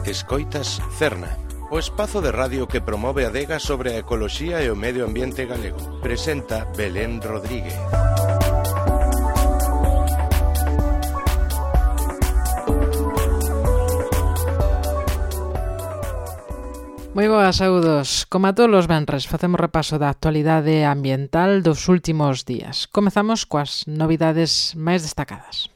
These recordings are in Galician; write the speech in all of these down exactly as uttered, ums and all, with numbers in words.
Escoitas Cerna, o espazo de radio que promove a adega sobre a ecoloxía e o medio ambiente galego. Presenta Belén Rodríguez. Moi boas, saúdos. Como a todos os venres, facemos repaso da actualidade ambiental dos últimos días. Comezamos coas novidades máis destacadas.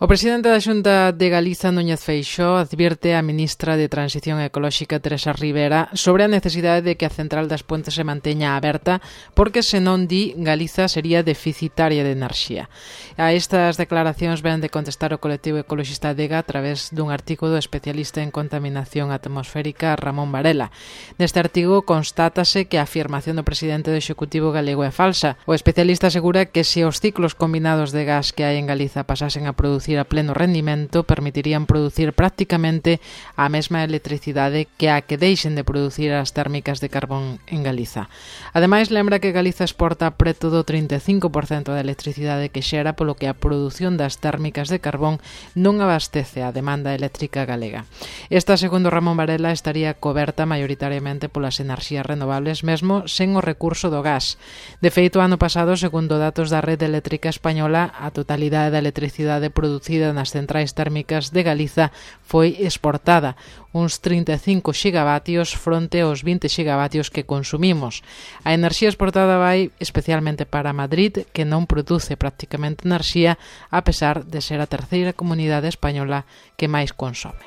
O presidente da Xunta de Galiza, Núñez Feixóo, advierte á ministra de Transición Ecolóxica, Teresa Ribera, sobre a necesidade de que a central das Pontes se manteña aberta, porque senón, di, Galiza sería deficitaria de enerxía. A estas declaracións ven de contestar o colectivo ecoloxista Adega a través dun artigo do especialista en contaminación atmosférica Ramón Varela. Neste artigo constátase que a afirmación do presidente do Executivo galego é falsa. O especialista asegura que se os ciclos combinados de gas que hai en Galiza pasasen a producir a pleno rendimento, permitirían producir prácticamente a mesma electricidade que a que deixen de producir as térmicas de carbón en Galiza. Ademais, lembra que Galiza exporta preto do trinta e cinco por cento da electricidade que xera, polo que a produción das térmicas de carbón non abastece a demanda eléctrica galega. Esta, segundo Ramón Varela, estaría coberta maioritariamente polas enerxías renovables, mesmo sen o recurso do gas. De feito, ano pasado, segundo datos da rede eléctrica española, a totalidade da electricidade producida nas centrais térmicas de Galiza foi exportada, uns trinta e cinco xigavatios fronte aos vinte xigavatios que consumimos. A enerxía exportada vai especialmente para Madrid, que non produce prácticamente enerxía, a pesar de ser a terceira comunidade española que máis consome.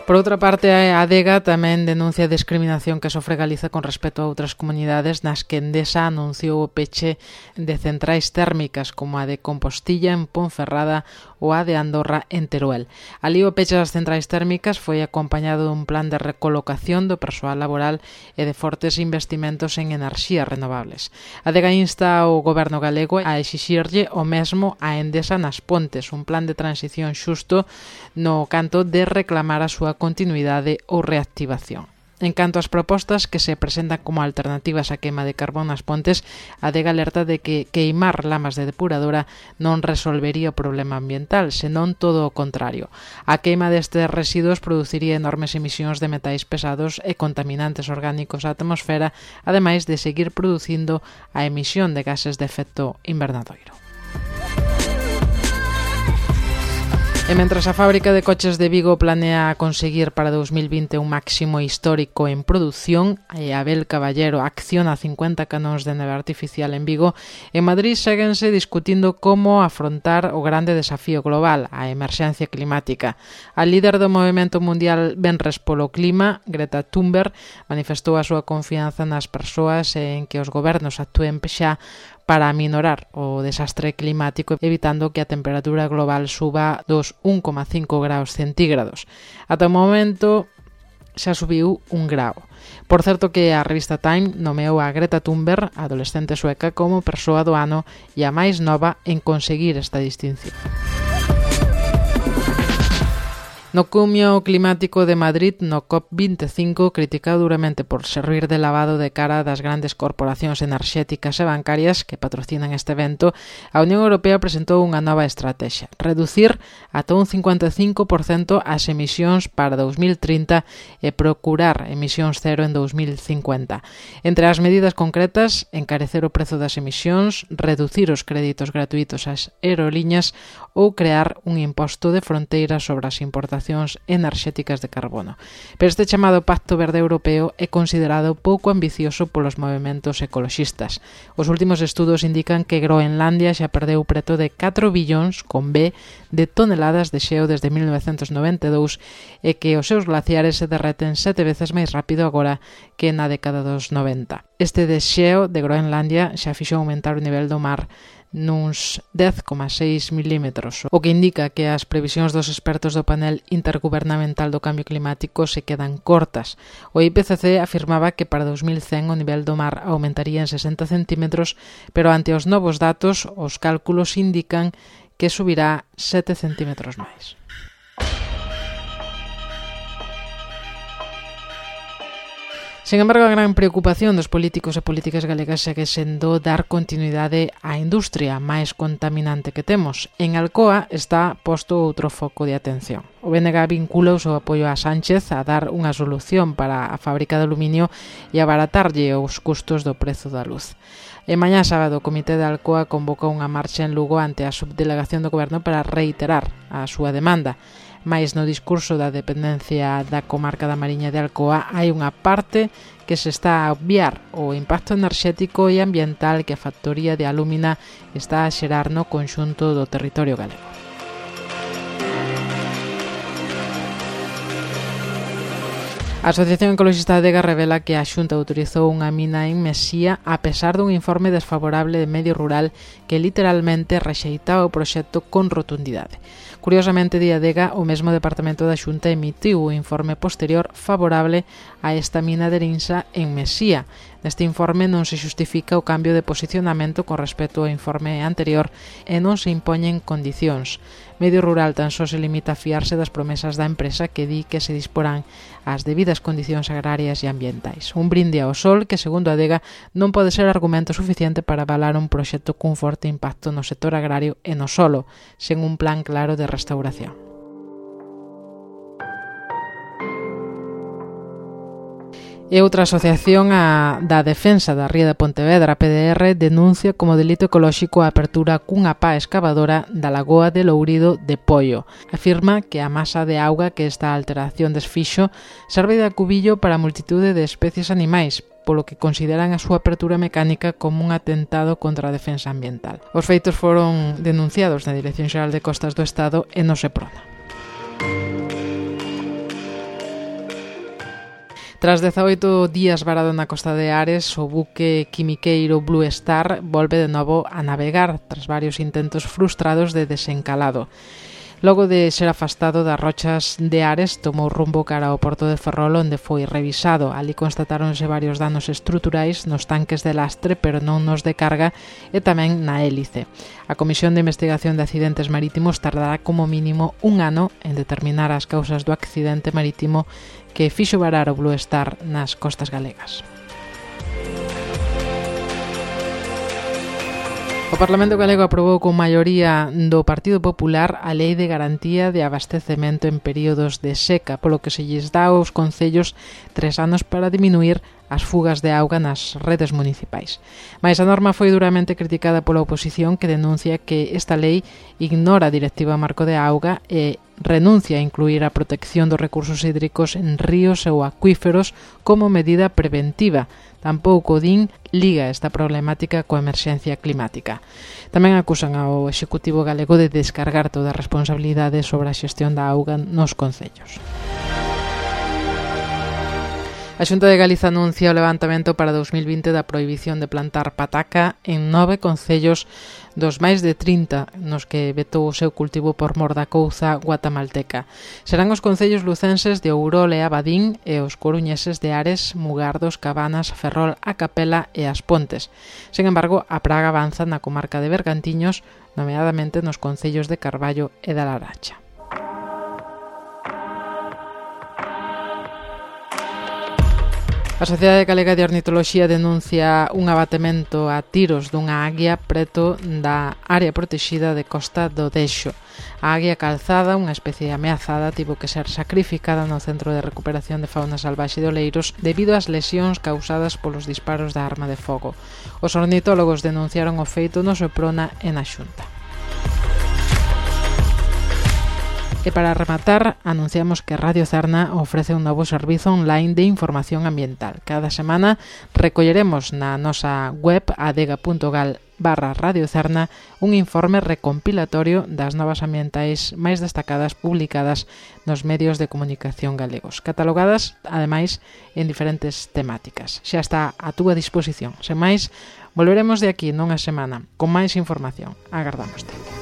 Por outra parte, a Adega tamén denuncia a discriminación que sofre Galiza con respecto a outras comunidades nas que Endesa anunciou o peche de centrais térmicas como a de Compostilla en Ponferrada ou a de Andorra en Teruel. Alí o peche das centrais térmicas foi acompañado dun plan de recolocación do persoal laboral e de fortes investimentos en enerxías renovables. A Adega insta ao goberno galego a exixirlle o mesmo a Endesa nas Pontes, un plan de transición xusto no canto de reclamar a súa continuidade ou reactivación. En canto ás propostas que se presentan como alternativas á queima de carbón nas Pontes, a Adega alerta de que queimar lamas de depuradora non resolvería o problema ambiental, senón todo o contrario. A queima destes residuos produciría enormes emisións de metais pesados e contaminantes orgánicos á atmosfera, ademais de seguir producindo a emisión de gases de efecto invernadoiro. E mentras a fábrica de coches de Vigo planea conseguir para dous mil vinte un máximo histórico en produción, e Abel Caballero acciona cincuenta canóns de neve artificial en Vigo, en Madrid séguense discutindo como afrontar o grande desafío global, a emerxencia climática. A líder do movemento mundial Venres polo Clima, Greta Thunberg, manifestou a súa confianza nas persoas e en que os gobernos actúen xa para aminorar o desastre climático, evitando que a temperatura global suba dos un coma cinco graus centígrados. Ata o momento xa subiu un grau. Por certo que a revista Time nomeou a Greta Thunberg, a adolescente sueca, como persoa do ano e a máis nova en conseguir esta distinción. No cumio climático de Madrid, no COP vinte e cinco, criticado duramente por servir de lavado de cara das grandes corporacións enerxéticas e bancarias que patrocinan este evento, a Unión Europea presentou unha nova estrategia: reducir ata un cincuenta e cinco por cento as emisións para dous mil trinta e procurar emisións cero en dous mil cincuenta. Entre as medidas concretas, encarecer o prezo das emisións, reducir os créditos gratuitos ás aeroliñas ou crear un imposto de fronteira sobre as importacións enerxéticas de carbono. Pero este chamado Pacto Verde Europeo é considerado pouco ambicioso polos movementos ecoloxistas. Os últimos estudos indican que Groenlandia xa perdeu preto de catro billóns con B de toneladas de xeo desde mil novecentos noventa e dous e que os seus glaciares se derreten sete veces máis rápido agora que na década dos noventa. Este desxeo de Groenlandia xa fixo aumentar o nivel do mar nuns dez coma seis milímetros, o que indica que as previsións dos expertos do panel intergubernamental do cambio climático se quedan cortas. O I P C C afirmaba que para dous mil cen o nivel do mar aumentaría en sesenta centímetros, pero ante os novos datos, os cálculos indican que subirá sete centímetros máis. Sen embargo, a gran preocupación dos políticos e políticas galegas segue sendo dar continuidade á industria máis contaminante que temos. En Alcoa está posto outro foco de atención. O B N G vincula o seu apoio a Sánchez a dar unha solución para a fábrica de aluminio e abaratarlle os custos do prezo da luz. E mañá sábado o Comité de Alcoa convocou unha marcha en Lugo ante a subdelegación do Goberno para reiterar a súa demanda. Mais no discurso da dependencia da comarca da Mariña de Alcoa hai unha parte que se está a obviar o impacto enerxético e ambiental que a factoría de alúmina está a xerar no conxunto do territorio galego. A Asociación Ecoloxista de Adega revela que a Xunta autorizou unha mina en Mesía a pesar dun informe desfavorable de Medio Rural que literalmente rexeitaba o proxecto con rotundidade. Curiosamente, di Adega, o mesmo Departamento da Xunta emitiu o informe posterior favorable a esta mina de Rinsa en Mesía. Neste informe non se xustifica o cambio de posicionamento con respecto ao informe anterior e non se impoñen condicións. Medio Rural tan só se limita a fiarse das promesas da empresa que di que se disporán as debidas condicións agrarias e ambientais. Un brinde ao sol que, segundo Adega, non pode ser argumento suficiente para avalar un proxecto cun forte impacto no sector agrario e no solo, sen un plan claro de restauración. E outra asociación, a da Defensa da Ría de Pontevedra, P D R, denuncia como delito ecolóxico a apertura cunha pá escavadora da lagoa de Lourido de Poio. Afirma que a masa de auga que esta alteración desfixo serve de acubillo para a multitude de especies animais, polo que consideran a súa apertura mecánica como un atentado contra a defensa ambiental. Os feitos foron denunciados na Dirección Xeral de Costas do Estado e no Seprona. Tras dezaoito días varado na costa de Ares, o buque quimiqueiro Blue Star volve de novo a navegar tras varios intentos frustrados de desencalado. Logo de ser afastado das rochas de Ares, tomou rumbo cara ao porto de Ferrol, onde foi revisado. Ali constatáronse varios danos estruturais nos tanques de lastre, pero non nos de carga, e tamén na hélice. A Comisión de Investigación de Accidentes Marítimos tardará como mínimo un ano en determinar as causas do accidente marítimo que fixo varar o Blue Star nas costas galegas. O Parlamento galego aprobou con maioría do Partido Popular a Lei de Garantía de Abastecemento en períodos de seca, polo que se lles dá aos concellos tres anos para diminuir as fugas de auga nas redes municipais. Mais a norma foi duramente criticada pola oposición, que denuncia que esta lei ignora a Directiva Marco de Auga e renuncia a incluir a protección dos recursos hídricos en ríos ou acuíferos como medida preventiva. Tampouco din liga esta problemática coa emerxencia climática. Tamén acusan ao Executivo galego de descargar toda a responsabilidade sobre a xestión da auga nos concellos. A Xunta de Galiza anuncia o levantamento para dous mil vinte da prohibición de plantar pataca en nove concellos dos máis de trinta nos que vetou o seu cultivo por mor da couza guatamalteca. Serán os concellos lucenses de Ourol e Abadín e os coruñeses de Ares, Mugardos, Cabanas, Ferrol, A Capela e As Pontes. Sen embargo, a praga avanza na comarca de Bergantiños, nomeadamente nos concellos de Carballo e da Laracha. A Sociedade Galega de Ornitoloxía denuncia un abatemento a tiros dunha aguia preto da área protexida de Costa do Deixo. A aguia calzada, unha especie ameazada, tivo que ser sacrificada no Centro de Recuperación de Fauna Salvaxe de Oleiros debido ás lesións causadas polos disparos da arma de fogo. Os ornitólogos denunciaron o feito no Seprona e na Xunta. E para rematar, anunciamos que Radio Cerna ofrece un novo servizo online de información ambiental. Cada semana recolleremos na nosa web adega punto gal barra Radio Cerna un informe recompilatorio das novas ambientais máis destacadas publicadas nos medios de comunicación galegos, catalogadas, ademais, en diferentes temáticas. Xa está a túa disposición. Sen máis, volveremos de aquí nunha semana con máis información. Agardámoste.